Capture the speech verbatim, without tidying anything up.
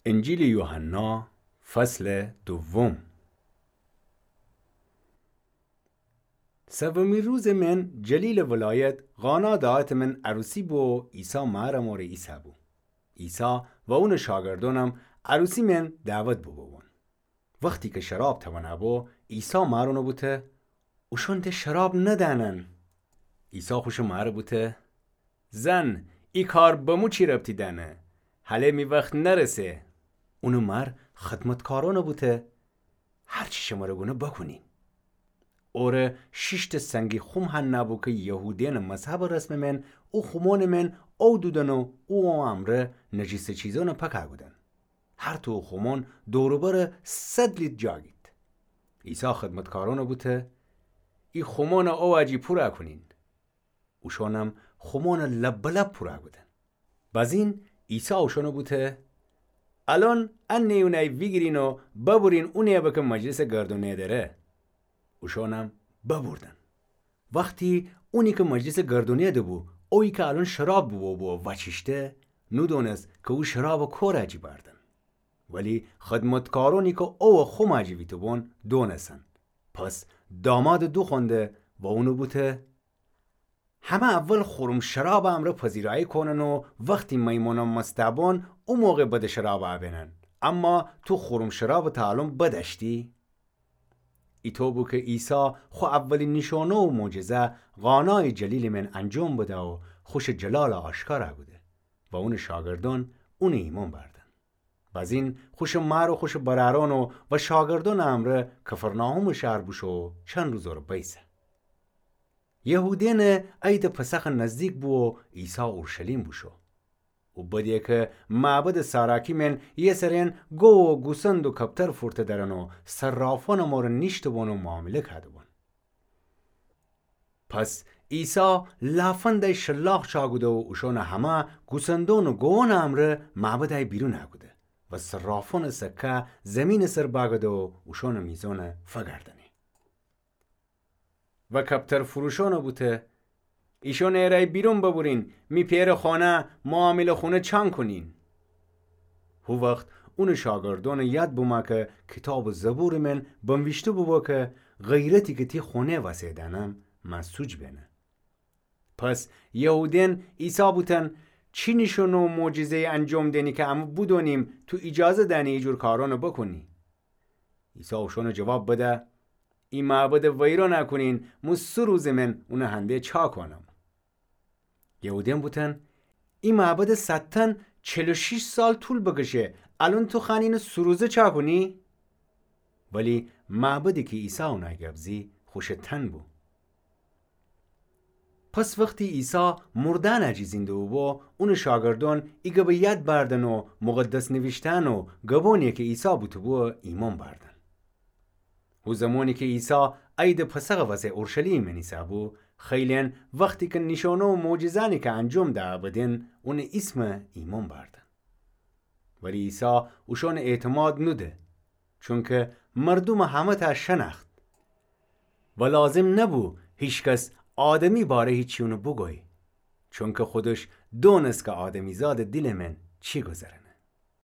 انجیلٚ یوحنا، فصلٚ دوم. سومی روزٚ من جلیلٚ ولایت قانا دعوتٚ من عروسی بو و عیسی مأر امره ایسه‌بو. عیسی و اونٚ شاگردأنم عروسی من دعوت بوبوبون. وختی کی شراب توأنه‌بو، عیسی مأرَ بوته: اوشأن ده شراب ندأنن. عیسی خوشٚ مأرَ بوته: زن، ای کار به مو چی ربطی دأنه؟ هله می وخت نرسه. اونٚ مأر خدمتکارأنَ بوته: هر چی شمره گونه بکونین. اوره شیشتأ سنگی خوم هنه بو کی یهودیأنٚ مذهبٚ رسمٚ من او خومأنٚ من او دودن و او امرأ نجیسٚ چیزأنَ پکه کودن. هر تو او خومأن دور و بر صد لیتر جا گید. عیسی خدمتکارأنَ بوته: ای خومأنَ او وأجی پورَ کونین. اوشأنم خومأنَ لب به لب پورَ کودن. بزین عیسی اوشأنَ بوته: الأن ا نیونه‌یَ ویگیرین و ببرین اونی‌یَ به کی مجلسَ گردونه‌دره. اوشأنم ببردن. وختی اونی کی مجلسَ گردونه‌ده‌بو، اویی کی الأن شراب بوبوبو و وأچیشته، نودونست کی او شرابَ کورَ جی بأردن. ولی خدمتکارأنی کی اوَ خومَ جی ویته‌بون دونستن. پس دامادَ دوخوأنده و اونَ بوته: همه اول خورم شرابٚ امرأ پذیرایی کونن و وختی میمونأن مستَ بون، او موقع بدٚ شرابَ بینن. اما تو خورم شرابَ تا الأن بدأشتی؟ ایطو بو کی عیسی خو اولی نیشأنه و معجزه قانایٚ جلیلٚ من انجام بده و خوشٚ جلالَ آشکارَ کوده و اونٚ شاگردأن اونَ ایمأن بأردن. بزین خوشٚ مأر و خوشٚ برأرأن و شاگردأنٚ امرأ کفرناحومٚ شهر بوشو و چند روز اوره بیسه. یهودیأنٚ عیدٚ پسخ نزدیک بو و عیسی اورشلیم بوشو. او بده کی معبدٚ ساراکی من یه سرین گو و گوسند و کپتر فورته درن و صرافأنٚ امره نیشته‌بون و معامله کده‌بون. پس عیسی لافندأی شلاق چاکوده و اوشأنٚ همه گوسندأن و گووأنٚ امرأ معبدأی بیرون کوده و صرافأنٚ سکه زیمینٚ سر بأگده و اوشأنٚ میزأن فگردأنه. و کپتر فروشأنَ بوته: ایشأنٚ ایرأی بیرون ببرین، می پئرٚ خانه معامله خونه چان کونین. هو وخت اونٚ شاگردأنٚ یاد بومه کی کیتابٚ زبورٚ من بنویشته بوبو کی غیرتی کی تی خانه وسه دأنم، مسوج بنه. پس یهودیأن عیسی بوتن: چی نیشأنه و معجزه‌یی انجام دینی کی امه بودونیم تو ایجازه دأنی ایجور کارأنَ بکونی؟ عیسی اوشأنَ جواب بده: ای معبدَ ویرانَ کونین، مو سه روزٚ من اونٚ هنده چاکانم. یهودیأن بوتن: ای معبدٚ سدتأن چل و شیش سال طول بکشه، الأن تو خوأنی اینَ سه روزه چاکونی؟ ولی معبدی کی عیسی اونٚ گب زی خوشٚ تن بو. پس وختی عیسی مردأنٚ جی زنده بوبو، اونٚ شاگردأن ای گبٚ یاد بأردن و مقدس نویشته‌یأن و گبأنی کی عیسی بوته‌بو ایمأن بأردن. هو زمانی کی عیسی عیدٚ پسخٚ وسه اورشلیمٚ من ایسه‌بو، خیلی‌یأن وختی کی نیشأنه و معجزه‌یأنی کی انجام ده‌بودن اونٚ ایسم ایمأن بأردن. ولی عیسی اوشأنٚ اعتماد نوده، چونکی مردومٚ همه‌تأ شنأخت و لازم نبو هیکس آدمی باره هیچی اونَ بوگوی، چونکی خودش دونست کی آدمیزادٚ دیلٚ من چی گوذرأنه.